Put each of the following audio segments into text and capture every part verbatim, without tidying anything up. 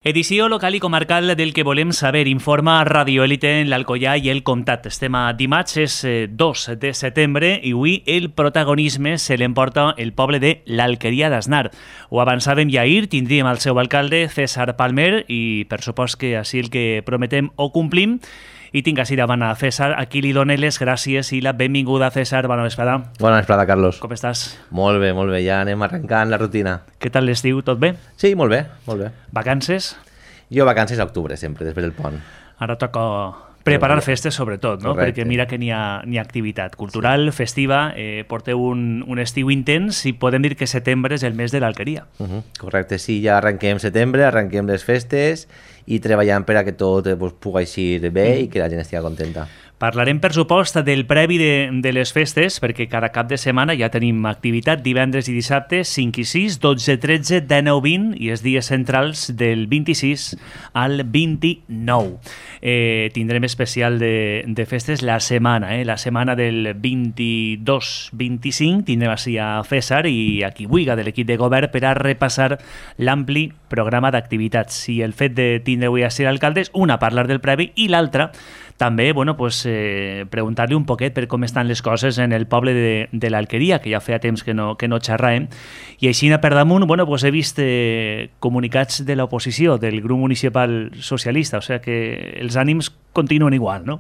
Edició local i comarcal del que volem saber, informa Radio Élite en l'Alcoià i el Comtat. Estem a dimarts, és dos de setembre, i avui el protagonisme se l'emporta el poble de l'Alqueria d'Asnar. Ho avançàvem ja ahir, tindríem el seu alcalde, César Palmer, i per supost que així el que prometem ho complim. I tinc així davant a César, a qui li dono les gràcies i la benvinguda. César, bona vesprada. Bona vesprada, Carlos. Com estàs? Molt bé, molt bé, ja anem arrencant la rutina. Què tal l'estiu, tot bé? Sí, molt bé, molt bé. Vacances? Jo vacances a octubre, sempre, després del pont. Ara toca preparar festes, sobretot, no? Correcte. Perquè mira que n'hi ha, n'hi ha activitat cultural, sí. festiva, eh, porteu un, un estiu intens i podem dir que setembre és el mes de l'Alqueria. Uh -huh. Correcte, sí, ja arrenquem setembre, arrenquem les festes i treballant per a que tot eh, pues, pugui eixir bé mm. i que la gent estigui contenta. Parlarem, per supost, del previ de, de les festes, perquè cada cap de setmana ja tenim activitat, divendres i dissabte, cinc i sis, dotze, tretze, dinou, vint, i els dies centrals del vint-i-sis al vint-i-nou. Eh, tindrem especial de, de festes la setmana, eh? La setmana del vint-i-dos vint-i-cinc tindrem així a César i a qui vulgui de l'equip de govern per a repassar l'ampli programa d'activitats. I el fet de tindre avui a ser alcaldes, una, parlar del previ, i l'altra, també, bueno, pues, eh, preguntar-li un poquet per com estan les coses en el poble de, de l'Alqueria, que ja feia temps que no, que no xerràvem, i així per damunt, bueno, pues, he vist eh, comunicats de l'oposició, del grup municipal socialista, o sigui que els ànims continuen igual, no?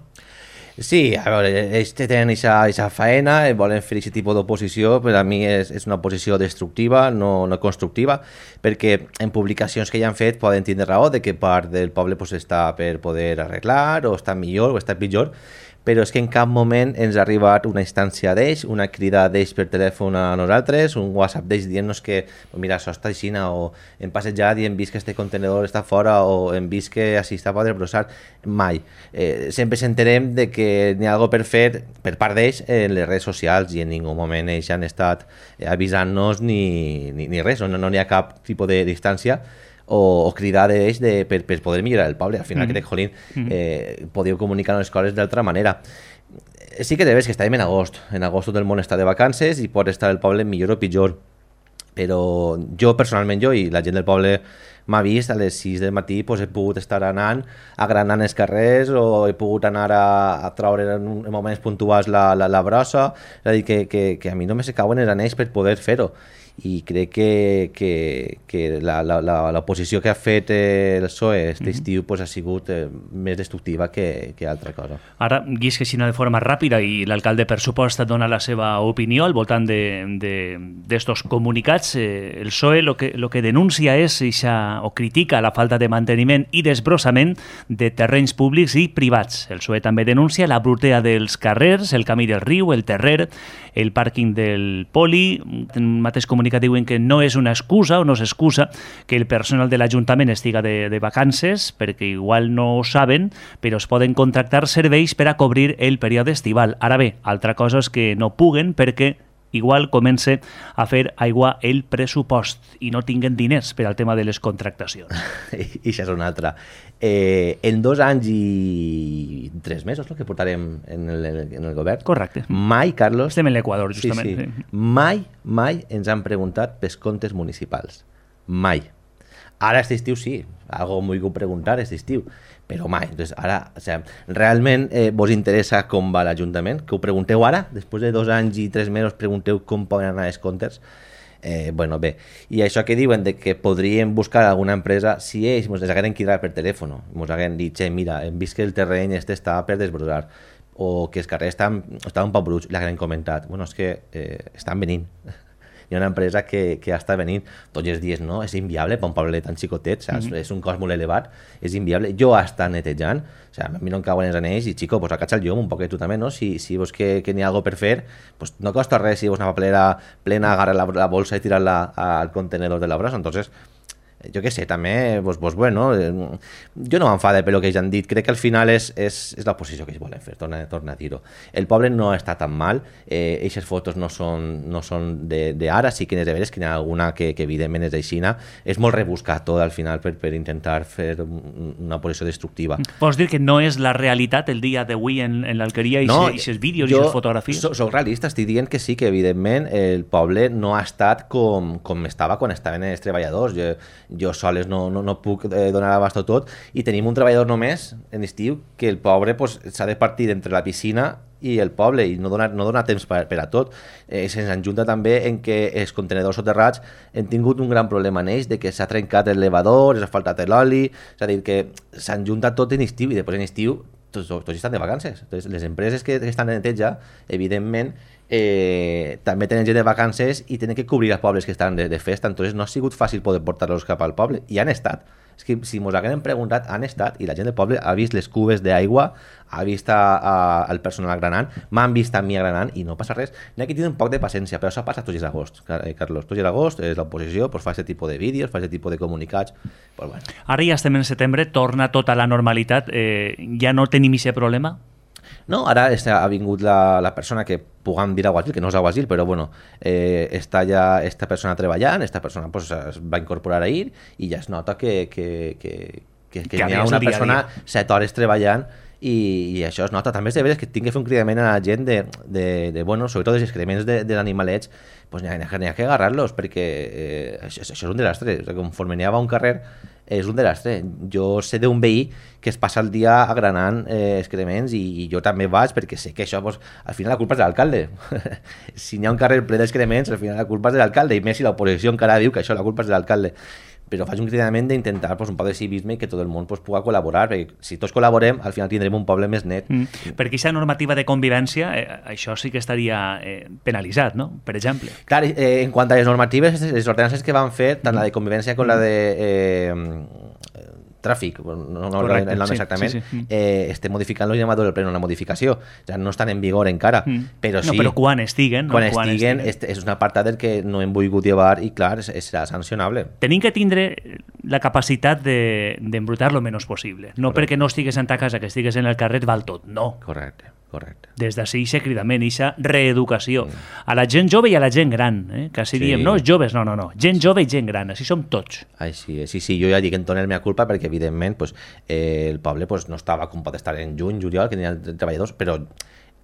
Sí, a veure, ells tenen aquesta faena, volen fer aquest tipus d'oposició, però a mi és, és una oposició destructiva, no, no constructiva, perquè en publicacions que ja han fet poden tindre raó de que part del poble pues, està per poder arreglar, o està millor, o està pitjor, però és que en cap moment ens ha arribat una instància d'ells, una crida d'ells per telèfon a nosaltres, un WhatsApp d'ells dient-nos que mira, això està així, o hem passejat i hem vist que este contenedor està fora, o hem vist que així està per desbrossar. Mai. Eh, sempre s'enterem de que n'hi ha alguna per fer per part d'ells en les redes socials i en ningú moment ells han estat avisant-nos ni, ni, ni res, no n'hi no ha cap tipus de distància o, o cridar d'ells de, per, per poder millorar el poble. Al final mm -hmm. crec, jolín, eh, podíeu comunicar les coses d'altra manera. Sí que debes que estàvem en agost. En agost tot el món està de vacances i pot estar el poble millor o pitjor. Però jo, personalment, jo i la gent del poble m'ha vist a les sis del matí, pues, he pogut estar anant, agranant els carrers, o he pogut anar a, a traure en, en moments puntuals la, la, la brossa. És a dir, que, que, que a mi només se cauen els anells per poder fer-ho. I crec que, que, que l'oposició que ha fet el P S O E aquest mm-hmm. estiu pues, ha sigut eh, més destructiva que, que altra cosa. Ara, llisc així de forma ràpida i l'alcalde, per supost, dona la seva opinió al voltant d'estos comunicats. Eh, el P S O E lo que, lo que denuncia és ixa, o critica la falta de manteniment i desbrossament de terrenys públics i privats. El P S O E també denuncia la brutea dels carrers, el camí del riu, el terrer, el pàrquing del poli. En un mateix comunicat diuen que no és una excusa o no s'excusa que el personal de l'Ajuntament estiga de, de vacances, perquè igual no ho saben, però es poden contractar serveis per a cobrir el període estival. Ara bé, altra cosa és que no puguen perquè igual comença a fer aigua el pressupost i no tinguen diners per al tema de les contractacions. I això és una altra. Eh, en dos anys i tres mesos, no?, que portarem en el, en el govern. Correcte. Mai, Carlos... Estem en l'Equador, justament. Sí, sí. Mai, mai ens han preguntat pels comptes municipals. Mai. Ara, aquest estiu, sí. Algo m'ho he preguntar aquest estiu. Però mai. Entonces, ara, o sea, realment eh, vos interessa com va l'Ajuntament? Que ho pregunteu ara? Després de dos anys i tres mesos pregunteu com poden anar els comptes? Eh, bueno, bé, i això que diuen de que podríem buscar alguna empresa, si ells ens hagueren cridat per telèfon, ens hagueren dit, che, mira, hem vist que el terreny este està per desbrossar, o que els carrers estan, estan un poc bruts, l'hagueren comentat, bueno, és que eh, estan venint. Hi ha una empresa que, que està venint tots els dies, no? És inviable per un poble tan xicotet, saps? Mm -hmm. És un cost molt elevat, és inviable. Jo està netejant, o sigui, a mi no em cauen els anells i, xico, pues acatxa el llum un poquet tu també, no? Si, si veus que, que n'hi ha alguna per fer, pues no costa res si veus una papelera plena, agarrar la, la bolsa i tirar-la al contenedor de la brossa. Entonces, jo què sé, també, pues, pues bueno, jo no m'enfade per el que ells han dit, crec que al final és, és, és l'oposició que ells volen fer, torna, torna a dir-ho. El poble no està tan mal, eh, aquestes fotos no són, no són d'ara, sí que n'és de veres que n'hi ha alguna que, que evidentment és d'aixina, és molt rebuscat tot al final per, per intentar fer una oposició destructiva. Vols dir que no és la realitat el dia d'avui en, en l'Alqueria, i aquests vídeos i aquestes fotografies? Jo soc realista, estic dient que sí, que evidentment el poble no ha estat com, com estava quan estaven els treballadors. Jo, jo soles no, no, no puc eh, donar abast a tot, i tenim un treballador només en estiu que el pobre pues, s'ha de partir entre la piscina i el poble, i no dona, no dona temps per, per a tot. Eh, Se'ns enjunta també en que els contenedors soterrats han tingut un gran problema en ells, de que s'ha trencat l'elevador, s'ha faltat l'oli, és a dir, que s'enjunta tot en estiu, i després en estiu tots, tots estan de vacances. Entonces, les empreses que, que estan en neteja, evidentment, eh, també tenen gent de vacances i tenen que cobrir els pobles que estan de, de festa. Entonces no ha sigut fàcil poder portar-los cap al poble, i han estat. És que si mos haguem preguntat, han estat, i la gent del poble ha vist les cubes d'aigua, ha vist a, a, el personal granant, m'han vist a mi granant, i no passa res. N'hi ha que tenir un poc de paciència, però això passa tots els agost, Carlos. Tots els agost és l'oposició, pues, fa aquest tipus de vídeos, fa aquest tipus de comunicats. Pues, bueno. Ara ja estem en setembre, torna tota la normalitat. Eh, ja no tenim aquest problema? No, ara ha vingut la, la persona que puguem dir alguacil, que no és alguacil, però bueno, eh, està ja esta persona treballant, esta persona pues, es va incorporar ahir, i ja es nota que, que, que, que, que, que hi ha una persona set hores treballant, i, i això es nota. També és de veres que tinc que fer un cridament a la gent de, de, de bueno, sobretot dels excrements de, de l'animalets, pues n'hi ha, ha que agarrar-los, perquè eh, això, això és un desastre. O sigui, conforme n'hi ha un carrer, és un desastre. Jo sé d'un veí que es passa el dia agranant eh, excrements, i, i jo també vaig, perquè sé que això, pues, al final la culpa és de l'alcalde. Si n'hi ha un carrer ple d'excrements, al final la culpa és de l'alcalde, i més si l'oposició encara diu que això la culpa és de l'alcalde. Però faig un cridament d'intentar pues, un poc de civisme i que tot el món pues, pugui col·laborar, perquè si tots col·laborem, al final tindrem un poble més net. Mm. Perquè aquesta normativa de convivència, eh, això sí que estaria eh, penalitzat, no? Per exemple. Clar, eh, en quant a les normatives, les ordenances que van fer, tant la de convivència com la de eh, tràfic, no, no Correcte, el nom sí, exactament, sí, sí. Eh, estem modificant el llamador del pleno, una modificació, ja no estan en vigor encara, mm. però sí... No, però quan estiguen... No? Quan, quan estiguen, estiguen. És un apartat del que no hem volgut llevar, i clar, serà sancionable. Tenim que tindre la capacitat d'embrutar de, lo menys possible, no Correcte. Perquè no estigues en ta casa, que estigues en el carrer val tot, no. Correcte. Correcte. Des d'ací ixe cridament, ixa reeducació. Mm. A la gent jove i a la gent gran, eh? que si sí. diem, no, joves, no, no, no, gent jove i gent gran, així som tots. Ai, sí, sí, sí, jo ja dic en tono la meva culpa, perquè evidentment pues, eh, el poble pues, no estava com pot estar en juny, juliol, que n'hi ha treballadors, però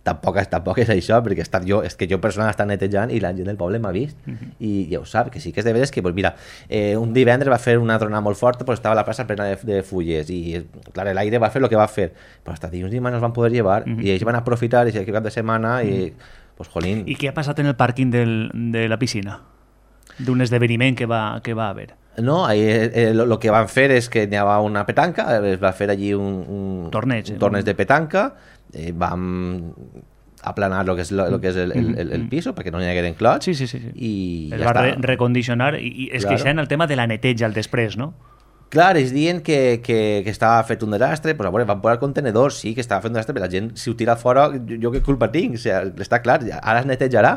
tampoc, tampoc és això, perquè he estat jo, és que jo personal està netejant i la gent del poble m'ha vist, mm-hmm. i ja ho sap, que sí que és de veres que, pues, mira, eh, un divendres va fer una tronada molt forta, pues, estava la plaça plena de, de fulles, i clar, l'aire va fer el que va fer, però hasta dilluns i dimarts no els van poder llevar, mm-hmm. i ells van aprofitar i aquest cap de setmana, mm-hmm. i, pues, jolín... I què ha passat en el pàrquing del, de la piscina? D'un esdeveniment que va, que va haver? No, ahí, eh, lo, lo que van fer és que n'hi havia una petanca, es va fer allí un, un torneig, un torneig de petanca, eh, vam aplanar lo que és, lo, lo que és el, el, el, el piso perquè no n'hi hagueren clots, sí, sí, sí, sí. i es ja va està. Re recondicionar, i, i es claro. queixen el tema de la neteja al després, no? Clar, es diuen que, que, que estava fet un desastre, pues, a veure, van posar contenedors, sí que estava fet un desastre, però la gent, si ho tira fora, jo, jo què culpa tinc? O sigui, està clar, ara es netejarà,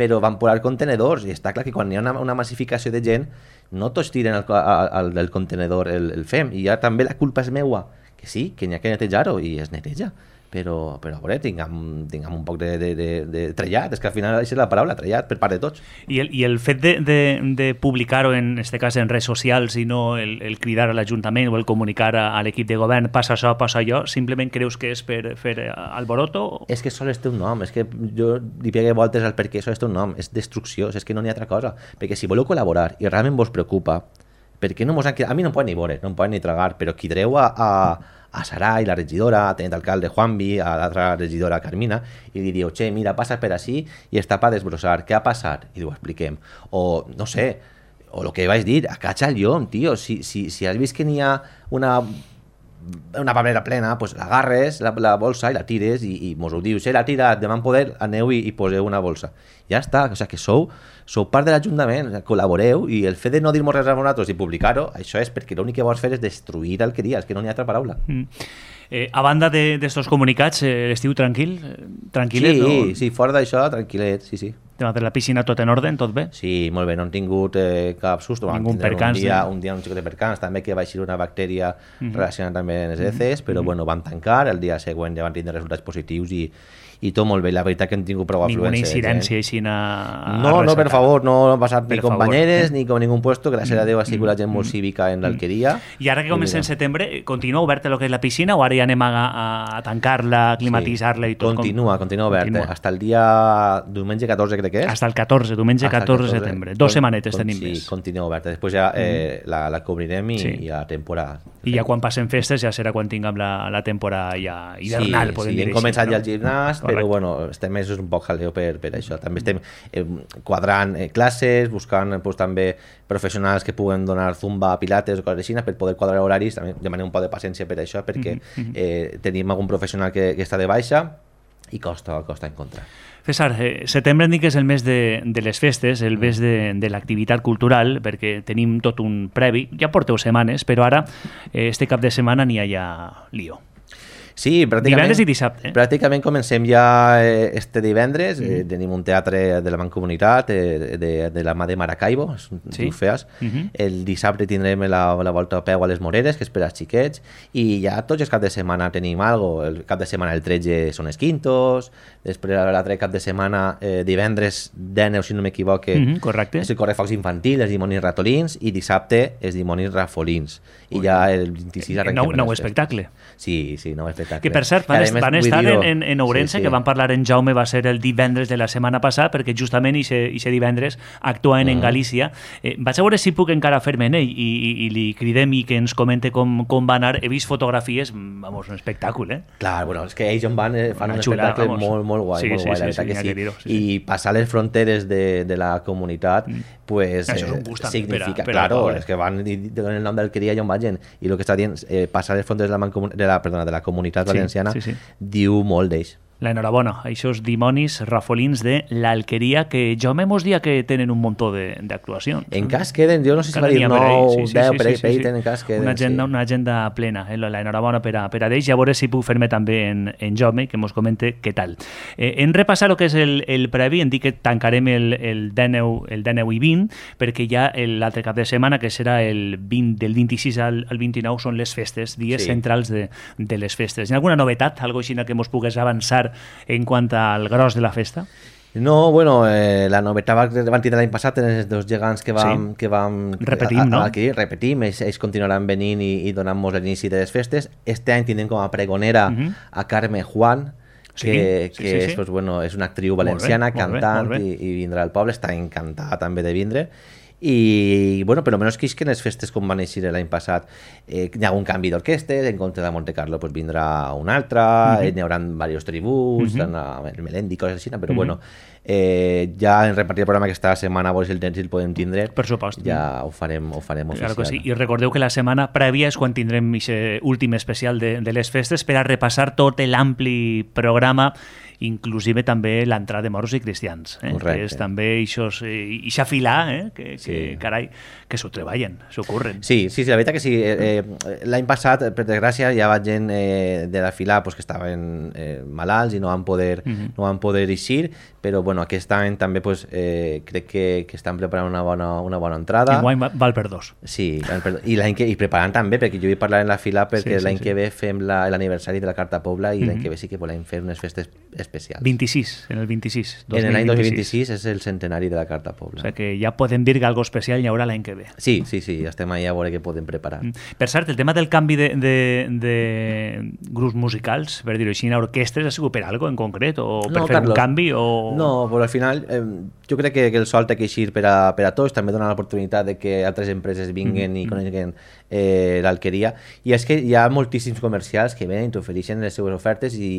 però van posar contenedors, i està clar que quan hi ha una, una massificació de gent, no tots tiren el, el, el contenedor el, el fem, i ja també la culpa és meua, que sí, que n'hi ha que netejar-ho, i es neteja. Però, però a veure, tinguem, tinguem un poc de, de, de, de trellat, és que al final això és la paraula, trellat, per part de tots. I el, i el fet de, de, de publicar-ho, en este cas en redes socials, i no el, el cridar a l'Ajuntament o el comunicar a, a l'equip de govern, passa això, passa allò, simplement creus que és per fer alboroto? És que sols té un nom, és que jo li pegué voltes al perquè sols té un nom, és destrucció, és que no n'hi ha altra cosa, perquè si voleu col·laborar i realment vos preocupa, perquè no mos han... a mi no em poden ni veure, no em poden ni tragar, però quidreu a... a a Sarai, la regidora, a tenent alcalde Juanvi, a l'altra regidora Carmina, i li diu, che, mira, passa per així i està per desbrossar, què ha passat? I ho expliquem. O, no sé, o el que vaig dir, acacha el llom, tio, si, si, si has vist que n'hi ha una una paperera plena, pues l'agarres, la, la bolsa, i la tires, i, i mos ho dius, eh, la tira, demà en poder, aneu i, i poseu una bolsa. Ja està, o sigui, que sou, sou part de l'Ajuntament, o sigui, col·laboreu, i el fet de no dir-nos res a nosaltres i publicar-ho, això és perquè l'únic que vols fer és destruir el que dius, que no n'hi ha altra paraula. Mm. Eh, a banda d'estos de, comunicats, eh, l'estiu tranquil? Tranquil·let, sí, no? Sí, fora d'això, tranquil·let, sí, sí. Tema de la piscina tot en ordre, tot bé? Sí, molt bé, no han tingut eh, cap susto. Ningú percans. Un dia, un dia un xic de percans, també que va eixir una bactèria uh-huh. relacionada també amb les heces, però uh-huh. bueno, van tancar, el dia següent ja van tindre resultats positius i, i tot molt bé, la veritat que hem tingut prou afluència. Ninguna incidència així a... No, no, per favor, no ha passat ni per companyeres favor. ni com ningú puesto, gràcies a Déu ha sigut la gent molt cívica en l'Alqueria. I ara que comença en setembre, continua oberta el que és la piscina o ara ja anem a, a tancar-la, climatitzar-la i tot? Continua, com... continua oberta, continua. hasta el dia diumenge catorze crec que és. Hasta el catorze, diumenge catorze de setembre. Dos setmanetes tenim sí, més. Sí, continua oberta. Després ja eh, la, la cobrirem i, Sí. i a temporada. I ja quan passen festes ja serà quan tinguem la, la temporada ja hivernal, sí, podem sí, dir hem així. començat no? ja el gimnàs, Correcte. però bueno, estem mesos un poc jaleo per, per això. També estem eh, quadrant eh, classes, buscant pues, també professionals que puguen donar zumba, pilates o coses així per poder quadrar horaris. També demanem un poc de paciència per això, perquè mm-hmm. eh, tenim algun professional que, que està de baixa i costa, costa encontrar. César, eh, setembre em dic que és el mes de, de les festes, el mes de, de l'activitat cultural, perquè tenim tot un previ, ja porteu setmanes, però ara, eh, este cap de setmana n'hi ha ja lío. Sí, pràcticament, divendres i dissabte. Eh? Pràcticament comencem ja eh, este divendres. Mm -hmm. eh, tenim un teatre de la Mancomunitat, eh, de, de la mà de Maracaibo, sí? diu Feas. Mm -hmm. El dissabte tindrem la, la volta a peu a les Moreres, que és per als xiquets, i ja tots els caps de setmana tenim algo. El cap de setmana el tretze són els quintos, després l'altre cap de setmana, eh, divendres deu, si no m'equivoque, mm -hmm, correcte. és el correfocs infantil, els dimonis ratolins, i dissabte els dimonis rafolins. I Ui. ja el vint-i-sis arrenquem. Nou, nou espectacle. Sí, sí, nou espectacle. Que per cert, van, est van estar en, en, en Ourense, sí, sí. que van parlar en Jaume, va ser el divendres de la setmana passada, perquè justament aquest divendres actuaven uh -huh. en Galícia. Eh, vaig a veure si puc encara fer-me en ell i, i, i li cridem i que ens comente com, com va anar. He vist fotografies, vamos, un espectacle, eh? Clar, bueno, és que ells on van eh, fan Una un xula, espectacle vamos. molt, molt guai, Sí, molt sí, guai, sí, la veritat sí, que sí, sí. dir-ho, sí, sí. I passar les fronteres de, de la comunitat, mm. pues, això és un eh, gust també significa, per a, per a claro, poble. és que van i donen el nom d'Alqueria i on vagin, i el que està dient, eh, passar les fronteres de la, de la, perdona, de la comunitat valenciana, sí, sí, sí. diu molt d'ells. La enhorabona, aquests dimonis rafolins de l'Alqueria, que Jaume mos dia que tenen un muntó d'actuacions. En cas queden, jo no sé si va dir nou, deu, per ahí tenen cas queden. Una agenda, una agenda plena, eh? La enhorabona per a, per a d'ells, i a veure si puc fer-me també en, en Jaume, que mos comente què tal. Eh, en repassar el que és el, el previ, en dir que tancarem el, el dinou i vint, perquè ja l'altre cap de setmana, que serà el vint, del vint-i-sis al, al vint-i-nou, són les festes, dies sí. centrals de, de les festes. Hi ha alguna novetat, algo així que mos pugues avançar en quant al gros de la festa? No, bueno, eh, la novetat que van tindre l'any passat en els dos gegants que vam... Sí. Que vam repetim, a, a, no? Aquí, repetim, ells, ells continuaran venint i, i donant-nos l'inici de les festes. Este any tindrem com a pregonera uh -huh. a Carme Juan, que, sí, que sí, sí, és, sí. Pues, bueno, és una actriu valenciana, molt bé, cantant, molt bé, molt bé. I, i vindrà al poble, està encantada també de vindre. I, bueno, però menys que en les festes com van eixir l'any passat eh, hi ha un canvi d'orquestes, en compte de Monte Carlo pues, vindrà una altra, uh -huh. n'hi haurà diversos tributs, uh -huh. el Melendi, coses així, però uh -huh. bueno, eh, ja en repartir el programa aquesta setmana, si el temps el podem tindre, per supost, ja ho farem, ho farem oficial. Claro que sí. I recordeu que la setmana prèvia és quan tindrem aquest últim especial de, de les festes per a repassar tot l'ampli programa, inclusive també l'entrada de moros i cristians, eh? que és també això eh, filar, eh? que, sí. que carai, que s'ho treballen, s'ho curren. Sí, sí, sí, la veritat que sí. Eh, eh, l'any passat, per desgràcia, hi havia gent eh, de la fila pues, que estaven eh, malalts i no van poder, uh -huh. no van poder eixir, però bueno, aquest any també pues, eh, crec que, que estan preparant una bona, una bona entrada. Enguany val per dos. Sí, i, l'any que, i preparant també, perquè jo vull parlar en la fila perquè sí, sí, l'any sí. que ve fem l'aniversari de la Carta Pobla i uh -huh. l'any que ve sí que volem fer unes festes especials. vint-i-sis, en el vint-i-sis. En l'any dos mil vint-i-sis és el centenari de la Carta Pobla. O sigui que ja podem dir que algo especial hi haurà l'any que ve. Sí, sí, sí, estem ahí a veure què podem preparar. Mm. Per cert, el tema del canvi de, de, de grups musicals, per dir-ho així, en orquestres, ha sigut per algo en concret? O per no, fer Carlos, un canvi? O... No, però al final eh, jo crec que, que el sol té que eixir per a, per a tots, també dona l'oportunitat de que altres empreses vinguen mm. i coneguen eh, l'Alqueria, i és que hi ha moltíssims comercials que venen i t'ofereixen les seues ofertes i...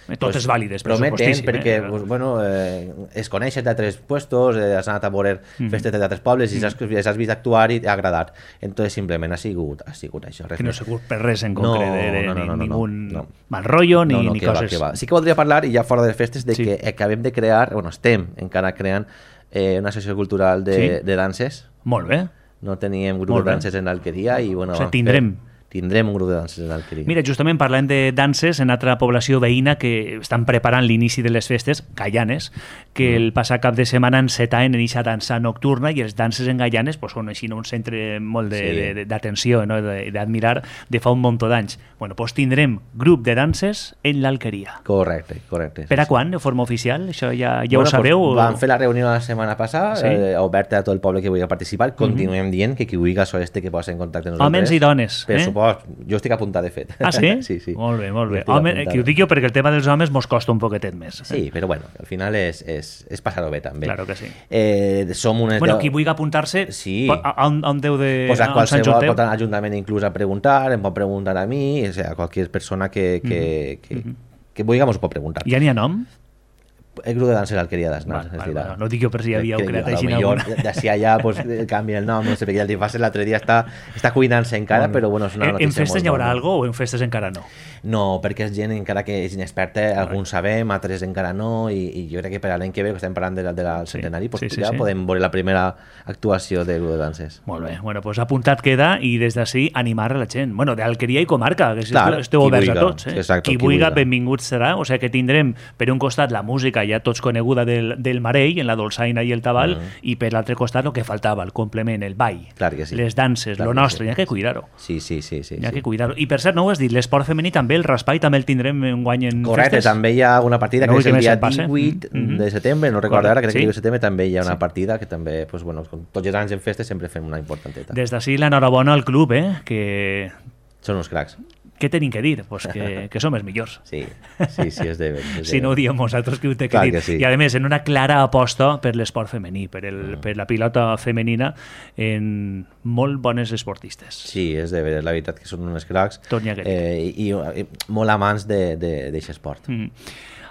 i totes pues, vàlides, prometen, perquè eh? pues, bueno, eh, es coneixen d'altres puestos, eh, has anat a veure mm. festes d'altres pobles i has, has vist actuar i t'ha agradat. Entonces simplement ha sigut, ha sigut això. Res que no ha sigut per res en concret, no, de, no, no, no, no, ningú no. mal rotllo ni, no, no, ni que coses... Va, que va. Sí que voldria parlar, i ja fora de les festes, de sí. que acabem de crear, bueno, estem encara creant eh, una associació cultural de, sí. de danses. Molt bé. No teníem grup de danses en l'Alqueria i bueno... O sigui, tindrem... Fer, tindrem un grup de danses a l'Alqueria. Mira, justament parlant de danses, en altra població veïna que estan preparant l'inici de les festes, Gaianes, que mm. el passat cap de setmana encetaven en aquesta dansa nocturna i els danses en Gaianes pues, són així un centre molt d'atenció, sí. no? d'admirar de fa un munt d'anys. Bueno, doncs tindrem grup de danses en l'Alqueria. Correcte, correcte. Per a sí, quan, sí. de forma oficial? Això ja, ja bueno, ho sabeu? Pues, vam fer la reunió la setmana passada, sí? eh, oberta a tot el poble que vulgui participar. Continuem mm -hmm. dient que qui vulgui això este que posa en contacte amb nosaltres. Homes i dones. Per eh? supost, jo estic apuntat de fet. Ah, sí? sí, sí. Molt bé, molt bé. Home, que ho dic jo perquè el tema dels homes mos costa un poquetet més. Eh? Sí, però bueno, al final és, és, és passar-ho bé també. Claro que sí. Eh, som unes bueno, deu... qui vulgui apuntar-se, sí. a on, on deu de... Pues a qualsevol pot anar a l'Ajuntament inclús a preguntar, em pot preguntar a mi, o sea, a qualsevol persona que, que, mm -hmm. que, mm -hmm. que vulgui mos pot preguntar. Ja n'hi ha nom? El grup de dansa de l'Alqueria d'Asnar. Vale, vale, vale. No dic jo per si hi havia un creat així. D'ací allà pues, canvia el nom, no sé, perquè el Tifàs l'altre dia està, està cuinant-se encara, però bueno, és una notícia. En festes hi haurà alguna o en festes encara no? No, perquè és gent encara que és inexperta, alguns sabem, altres encara no, i, i jo crec que per a l'any que ve, que estem parlant del de la centenari, sí, pues, sí, sí, ja sí. podem veure la primera actuació del grup de danses. Molt bé, bueno, pues apuntat queda i des d'ací animar a la gent. Bueno, d'Alqueria i comarca, que Clar, esteu oberts a tots. Eh? Exacto, qui vulgui, benvingut serà. O sigui que tindrem, per un costat, la música ja tots coneguda del, del Marell, en la dolçaina i el tabal, uh -huh. i per l'altre costat el que faltava, el complement, el ball, Clar que sí. les danses, Clar lo que nostre, sí. hi ha que cuidar-ho. Sí, sí, sí. sí hi ha sí. que cuidar-ho. I per cert, no ho has dit, l'esport femení també, el raspall també el tindrem en guany en Correcte, festes. també hi ha una partida no que és el dia divuit mm -hmm. de setembre, no recordo ara, crec sí? que el de setembre també hi ha una sí. partida que també, pues, bueno, com tots els anys en festes sempre fem una importanteta. Des d'ací l'enhorabona al club, eh? que... Són uns cracs. Què tenim que dir? Pues que, que som els millors. Sí, sí, sí, és de bé. Si no ho diem nosaltres, qui ho té que Clar dir. Que sí. I a més, en una clara aposta per l'esport femení, per, el, mm. per la pilota femenina, en molt bones esportistes. Sí, és de bé, la veritat que són uns cracs eh, i, i, i molt amants d'aquest esport. Mm.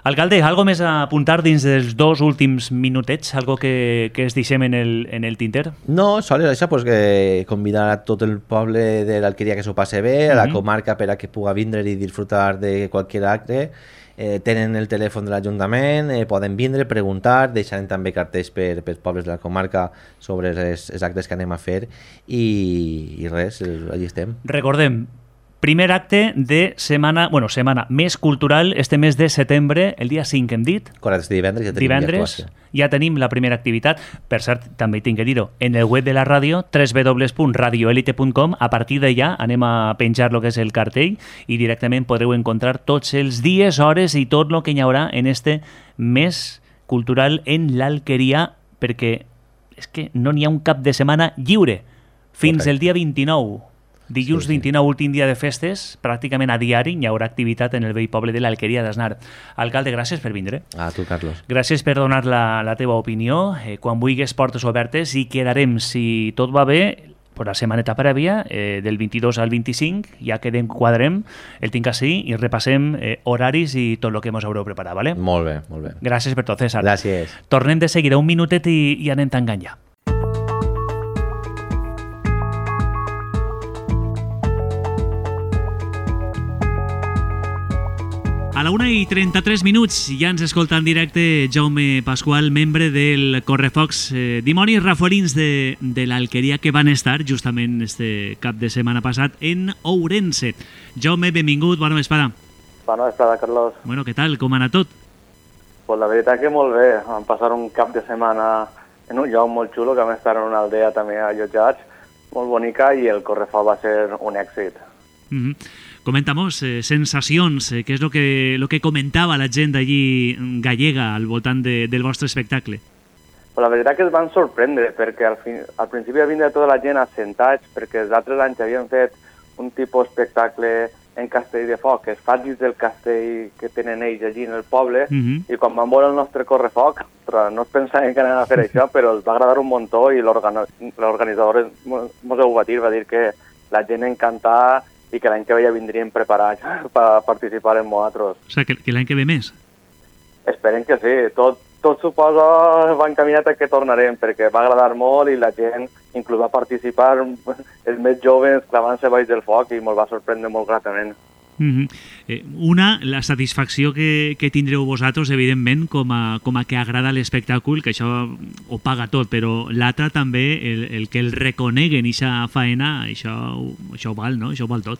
Alcalde, algo més a apuntar dins dels dos últims minutets? Algo que, que es deixem en el, en el tinter? No, sols això, pues, que convidar a tot el poble de l'Alqueria que s'ho passe bé, a la mm-hmm. comarca per a que puga vindre i disfrutar de qualsevol acte. Eh, tenen el telèfon de l'Ajuntament, eh, poden vindre, preguntar, deixarem també cartells per, per pobles de la comarca sobre els, els actes que anem a fer i, i res, allà estem. Recordem, primer acte de setmana, bueno, setmana més cultural, este mes de setembre, el dia cinc hem dit. Correcte, este divendres ja tenim divendres, ja tenim la primera activitat. Per cert, també tinc que dir-ho, en el web de la ràdio, w w w punt radio elite punt com, a partir d'allà anem a penjar el que és el cartell i directament podreu encontrar tots els dies, hores i tot el que hi haurà en este mes cultural en l'Alqueria, perquè és que no n'hi ha un cap de setmana lliure fins el dia vint-i-nou. Dilluns sí, sí. vint-i-nou, últim dia de festes, pràcticament a diari hi haurà activitat en el vell poble de l'Alqueria d'Asnar. Alcalde, gràcies per vindre. A tu, Carlos. Gràcies per donar la, la teva opinió. Eh, quan vulguis, portes obertes i quedarem, si tot va bé, per la setmaneta prèvia, eh, del vint-i-dos al vint-i-cinc, ja quedem, quadrem, el tinc així i repassem eh, horaris i tot el que ens haureu preparat, ¿vale? Molt bé, molt bé. Gràcies per tot, César. Gràcies. Tornem de seguida un minutet i, i anem tancant ja. A la una i trenta-tres minuts ja ens escolta en directe Jaume Pasqual, membre del Correfocs, eh, dimonis rafolins de, de l'Alqueria que van estar justament este cap de setmana passat en Ourense. Jaume, benvingut, bona vesprada. Bona vesprada, Carlos. Bueno, què tal? Com ha anat tot? Pues la veritat que molt bé. Vam passar un cap de setmana en un lloc molt xulo, que vam estar en una aldea també allotjats, molt bonica, i el Correfoc va ser un èxit. Mm-hmm. Coméntanos, eh, sensacions, eh, què és el que, lo que comentava la gent d'allí gallega al voltant de, del vostre espectacle? Pues la veritat que es van sorprendre, perquè al, fin, al principi va vindre tota la gent assentats, perquè els altres anys havien fet un tipus d'espectacle en castell de foc, que es fa dins del castell que tenen ells allí en el poble, mm-hmm. i quan van veure el nostre Correfoc, no es pensaven que anaven a fer això, però els va agradar un muntó i l'organitzador ens ho va dir, va dir que la gent encantada i que l'any que ve ja vindrien preparats per participar en nosaltres. O sigui, que, que l'any que ve més? Esperem que sí. Tot, tot suposa va encaminat a que tornarem, perquè va agradar molt i la gent inclús va participar, els més joves clavant-se baix del foc, i me'l va sorprendre molt gratament. Mm-hmm. eh, una, la satisfacció que, que tindreu vosaltres, evidentment, com a, com a que agrada l'espectacle, que això ho paga tot, però l'altra també, el, el que el reconeguen ixa faena, això, això ho val, no? Això ho val tot.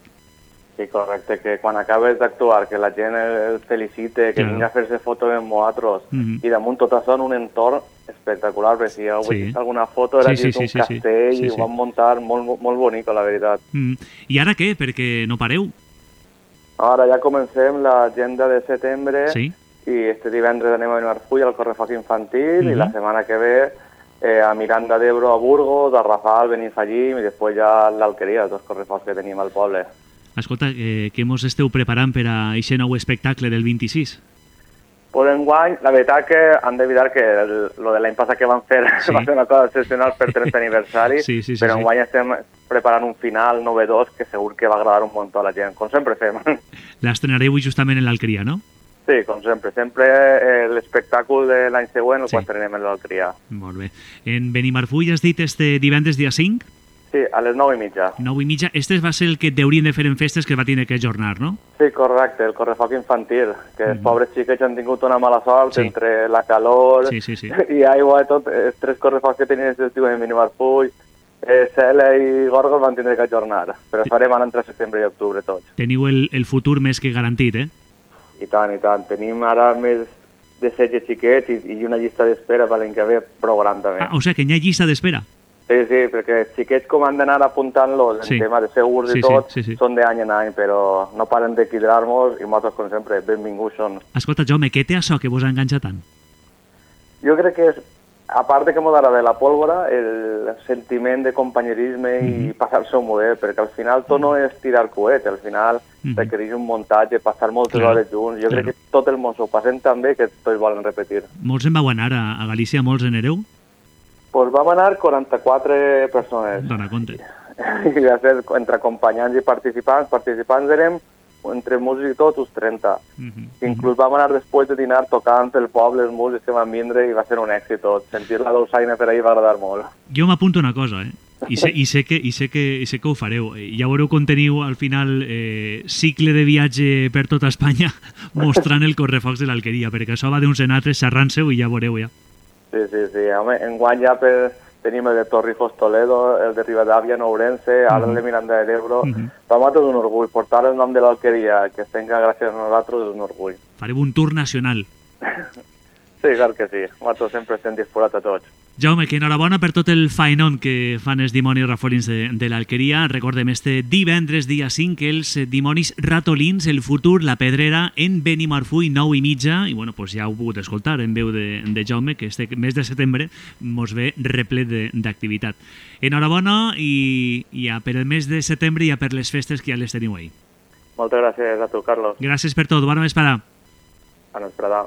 Sí, correcte, que quan acabes d'actuar, que la gent el felicite, que Claro. vinga a fer-se foto amb vosaltres, Mhm. i damunt tot això en un entorn espectacular, perquè si heu Sí. vist alguna foto era Sí, sí, dins d'un sí, sí, sí. castell Sí, i sí. ho van muntar molt, molt bonic, la veritat. Mm. I ara què? Perquè no pareu. Ara ja comencem l'agenda de setembre Sí. i este divendres anem a Benimarfull al correfoc infantil Mhm. i la setmana que ve eh, a Miranda d'Ebro a Burgos, a Rafal, Benifallim i després ja a l'Alqueria, els dos correfocs que tenim al poble. Escolta, eh, què mos esteu preparant per a aquest nou espectacle del vint-i-sis? Pues enguany, la veritat que han d'evitar que el, lo de l'any passat que van fer Sí. va ser una cosa excepcional per trenta aniversari, Sí, sí, sí, però sí. enguany estem preparant un final novedós que segur que va agradar un munt a la gent, com sempre fem. L'estrenareu justament en l'Alqueria, no? Sí, com sempre. Sempre eh, l'espectacle de l'any següent el Sí. sí. estrenem en l'Alqueria. Molt bé. En Benimarfull has dit este divendres dia cinc? Sí, a les nou i mitja. nou i mitja. Este va ser el que deurien de fer en festes que va tindre que ajornar, no? Sí, correcte, el correfoc infantil, que els Mhm. pobres xiquets han tingut una mala sort Sí. entre la calor Sí, sí, sí. i aigua i tot. Els tres correfocs que tenien aquest estiu en Benimarfull, eh, Cela i Gorgos van tindre que ajornar, però farem ara entre setembre i octubre tots. Teniu el, el futur més que garantit, eh? I tant, i tant. Tenim ara més de setze xiquets i, i una llista d'espera per l'any que ve prou gran també. Ah, o sigui que hi ha llista d'espera. Sí, sí, perquè els xiquets com han d'anar apuntant-los en Sí. tema de segurs Sí, i sí, tot, sí, sí. són d'any en any, però no paren de cridar-nos i nosaltres, com sempre, benvinguts són. Escolta, Jaume, què té això que vos enganxa tant? Jo crec que és, a part de que m'ho agrada la pólvora, el sentiment de companyerisme Mhm. i passar-se un model, perquè al final tot no és tirar coet, al final Mhm. requereix un muntatge, passar moltes Claro, hores junts. Jo claro. crec que tot el món s'ho passen tan bé que tots volen repetir. Molts en vau anar a, a Galícia, molts en hereu? Pues vam anar quaranta-quatre persones. Dona compte. I va ser entre acompanyants i participants. Participants érem entre músics i tots uns trenta. Mhm. Inclús vam anar després de dinar tocant pel poble els músics que van vindre i va ser un èxit tot. Sentir la dolçaina per ahí va agradar molt. Jo m'apunto una cosa, eh? I sé, i, sé que, i, sé que, I sé que ho fareu. Eh, Ja veureu com teniu al final eh, cicle de viatge per tota Espanya mostrant el correfocs de l'Alqueria, perquè això va d'uns en altres, xerrant-se-ho i ja veureu ja. Sí, sí, sí. Home, enguany ja per, tenim el de Torrijos Toledo, el de Rivadavia, Nourense, ara el de Miranda de Ebro. Mhm. Per nosaltres és un orgull. Portar el nom de l'Alqueria, que es tenga gràcies a nosaltres, és un orgull. Fareu un tour nacional. Sí, clar que sí. Nosaltres sempre estem disposats a tots. Jaume, que enhorabona per tot el faenón que fan els dimonis rafolins de, de l'Alqueria. Recordem este divendres, dia cinc, els dimonis ratolins, el futur, la pedrera, en Benimarfull, nou i mitja. I bueno, pues ja ho heu pogut escoltar en veu de, de Jaume, que este mes de setembre mos ve replet de- d'activitat. Enhorabona i, i ja per el mes de setembre i ja per les festes que ja les teniu ahí. Moltes gràcies a tu, Carlos. Gràcies per tot. Bona vesprada. A nos, Prada.